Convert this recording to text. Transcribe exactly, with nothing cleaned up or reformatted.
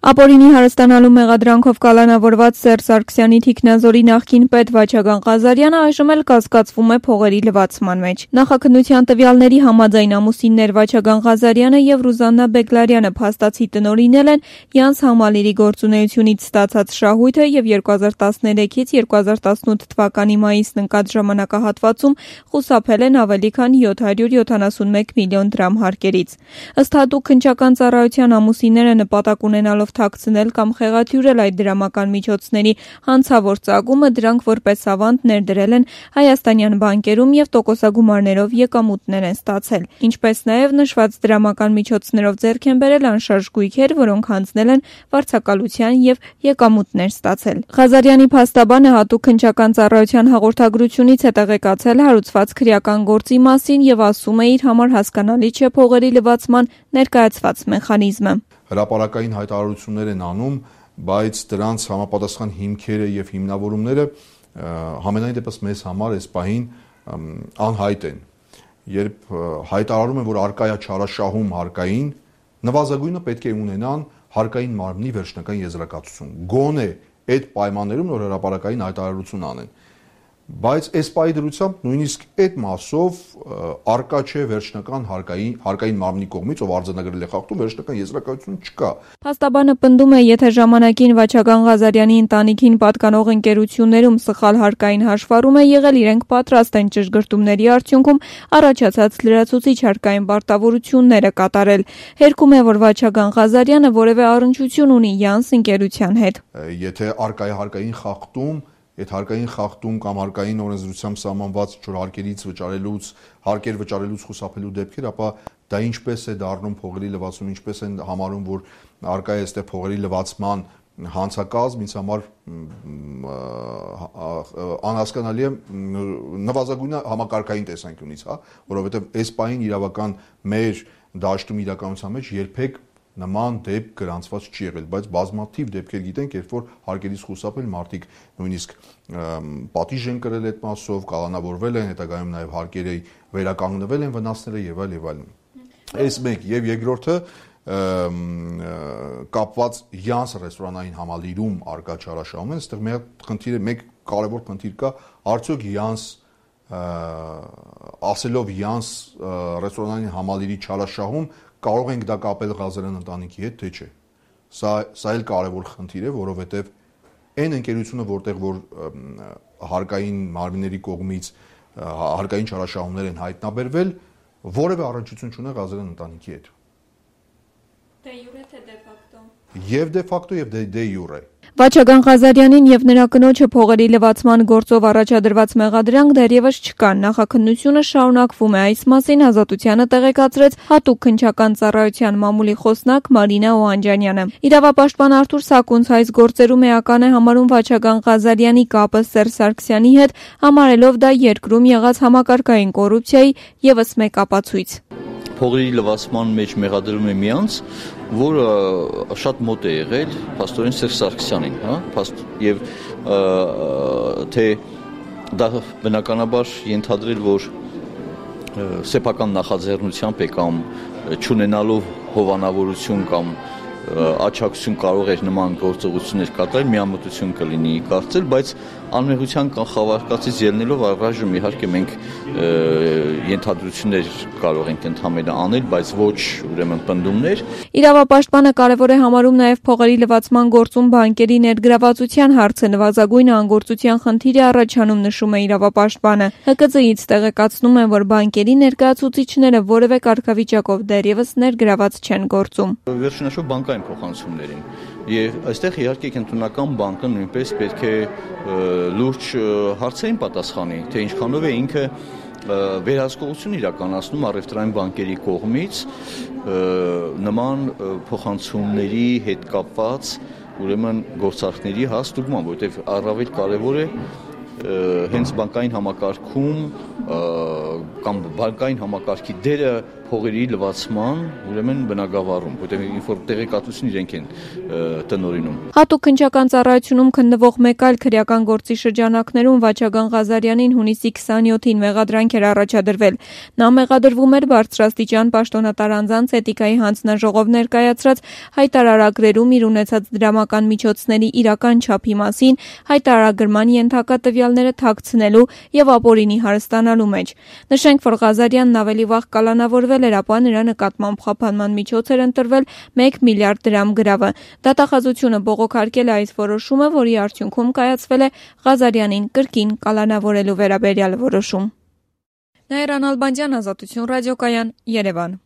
Ապօրինի հարստանալու մեղադրանքով կալանավորված Սերժ Սարգսյանի թիկնազորի նախկին պետ Վաչագան Ղազարյանը այժմ էլ կասկածվում է փողերի լվացման մեջ։ Նախաքննության տվյալների համաձայն ամուսիններ Վաչագան Ղազարյանը եւ Ռուզաննա Բեգլարյանը փաստացի տնօրինել են յանց համալիրի գործունեությունից ստացած շահույթը եւ երկու հազար տասներեքից երկու հազար տասնութ թվականի մայիսն ընկած ժամանակահատվածում խուսափել են ավելի քան յոթ հարյուր յոթանասունմեկ միլիոն դրամ հարկերից։ Ըստ հատուկ քննչական ծառայության ամուսինները նպատակ ունենալով թաքցնել կամ խեղաթյուրել այդ դրամական միջոցների հանցավոր ծագումը դրանք որպես ավանդ ներդրել են հայաստանյան բանկերում եւ տոկոսագումարներով եկամուտներ են ստացել, ինչպես նաեւ նշված դրամական միջոցներով ձեռք են բերել անշարժ գույքեր, որոնք հանձնել են վարձակալության եւ եկամուտներ ստացել։ Ղազարյանի փաստաբանը հատուկ քննչական ծառայության հաղորդագրությունից է տեղեկացել հարուցված քրեական գործի մասին եւ ասում է իր համար հասկանալի չէ փողերի լվացման ներկայացված մեխանիզմը։ Հրապարակային հայտարարություններ են անում, բայց դրանց համապատասխան հիմքերը եւ հիմնավորումները համենայն դեպս մեզ համար այս պահին անհայտ են։ Երբ հայտարարում են, որ արկայա չարաշահում հարկային, նվազագույնը պետք է ունենան հարկային մարմնի վերջնական եզրակացություն։ Գոնե այդ պայմաններում նոր հրապարակային հայտարարություն անեն։ Բայց այս պահի դրությամբ նույնիսկ այդ մասով արկա չէ վերջնական հարկային հարկային մարմնի կողմից, ով արձանագրել է խախտում, վերջնական եզրակացություն չկա։ Փաստաբանը պնդում է, եթե ժամանակին Վաչագան Ղազարյանի ընտանիքին պատկանող ընկերություններում սխալ հարկային հաշվառում է եղել, իրենք պատրաստ են ճշգրտումների արդյունքում առաջացած լրացուցիչ հարկային պարտավորությունները կատարել։ Հերքում է, որ Վաչագան Ղազարյանը որևէ առնչություն ունի յանս ընկերության հետ։ Եթե արկայի հարկային խախտում Այդ հարկային խախտում կամ հարկային օրենսդրությամբ սահմանված չոր հարկերից վճարելուց, հարկեր վճարելուց խուսափելու դեպքեր, ապա դա ինչպես է դառնում փողերի լվացում, ինչպես են համարում, որ արկա է այստեղ փողերի լվացման հանցակազմ, ինձ համար անհասկանալի է նվազագույնը համակարգային տեսանկյունից, հա, որովհետև այս պահին իրավական մեր դաշտում իրականության մեջ երբեք նման դեպք գրանցված չի եղել, բայց բազմաթիվ դեպքեր գիտենք, երբ որ հարկերից խուսափել մարդիկ նույնիսկ պատիժ են կրել այդ մասով, կալանավորվել են, հետագայում նաև հարկերի վերականգնվել են վնասները եւ այլ եւ այլն։ Այս մեկ եւ երկրորդը կապված յանս ռեստորանային համալիրում արկա չարաշահում են, այստեղ մի հատ խնդիր է, մեկ կարևոր խնդիր կա, արդյոք յանս ասելով յանս ռեստորանային համալիրի չարաշահում կարող ենք դա կապել Ղազարյան ընտանիքի հետ, թե չէ։ Սա սա էլ կարևոր խնդիր է, որովհետև այն ընկերությունը, որտեղ որ հարկային մարմինների կողմից հարկային չարաշահումներ են հայտնաբերվել, որևէ առնչություն չունի Ղազարյան ընտանիքի հետ։ Դե յուրե թե դե ֆակտո։ Եվ դե ֆակտո եւ դե դե յուրե։ Վաչագան Ղազարյանին եւ նրա կնոջը փողերի լվացման գործով առաջադրված մեղադրանք դեռևս չկան։ Նախաքննությունը շարունակվում է։ Այս մասին Ազատությանը տեղեկացրեց հատուկ քննչական ծառայության մամուլի խոսնակ Մարինա Օհանջանյանը։ Իրավապաշտպան Արթուր Սակունցը այս գործերում էական է համարում Վաչագան Ղազարյանի կապը Սերժ Սարգսյանի հետ, համարելով դա երկրում եղած համակարգային կոռուպցիայի եւս մեկ ապացույց։ Փողերի լվացման մեջ մեղադրում է միանց, որը շատ մոտ է եղել փաստորեն Սերժ Սարգսյանին, հա, փաստ եւ թե դա բնականաբար ենթադրել, որ սեփական նախաձեռնությամբ է կամ չունենալով հովանավորություն կամ աչակցություն կարող էր նման գործողություններ կատարել, միամտություն կլինի կարծել, բայց անմեղության կանխավարկածից ելնելով առայժմ իհարկե մենք ենթադրություններ կարող ենք ընդհանրապես անել, բայց ոչ ուրեմն պնդումներ։ Իրավապաշտպանը կարևոր է համարում նաև փողերի լվացման գործում բանկերի ներգրավվածության հարցը, նվազագույն անգործության խնդիր է առաջանում, նշում է իրավապաշտպանը։ Հ Կ Ծ-ից տեղեկացնում են, որ բանկերի ներկայացուցիչները որևէ կարգավիճակով դեռևս ներգրաված չեն գործում։ Վերջնաշով բանկային փոխանցումներին եւ այստեղ իհարկե կենտրոնական բանկը նույնպես պետք է լուրջ հարցերին պատասխանի, թե ինչքանով է ինքը վերահսկողություն իրականացնում առևտրային բանկերի կողմից նման փոխանցումների հետ կապված ուրեմն գործարքների հաստուգման, որովհետեւ առավել կարեւոր է հենց բանկային համակարգում կամ բանկային համակարգի դերը փողերի լվացման, ուրեմն բնագավառում, որտեղ ինֆոր տեղեկատվություն իրենք են տնօրինում։ Հատուկ քննչական ծառայությունում քննվող մեկ այլ քրեական գործի շրջանակներում Վաչագան Ղազարյանին հունիսի քսաներկուին մեղադրանք էր առաջադրվել։ Նա մեղադրվում էր բարձրաստիճան պաշտոնատար անձանց էթիկայի հանձնաժողով ներկայացրած հայտարարագրերում իր ունեցած դրամական միջոցների իրական չափի մասին հայտարարագրման ենթակա տվյալները թաքցնելու եւ ապօրինի հարստանալու մեջ։ Նշենք, որ Ղազարյանն ավելի վաղ կալանավորվել էր, ապա նրա նկատմամբ խափանման միջոց էր ընտրվել մեկ միլիարդ դրամ գրավը։ Դատախազությունը բողոքարկել է այս որոշումը, որի արդյունքում կայացվել է Ղազարյանին կրկին կալանավորելու վերաբերյալ որոշում։ Նաիրա Նալբանդյան, Ազատություն ռադիոկայան, Երևան։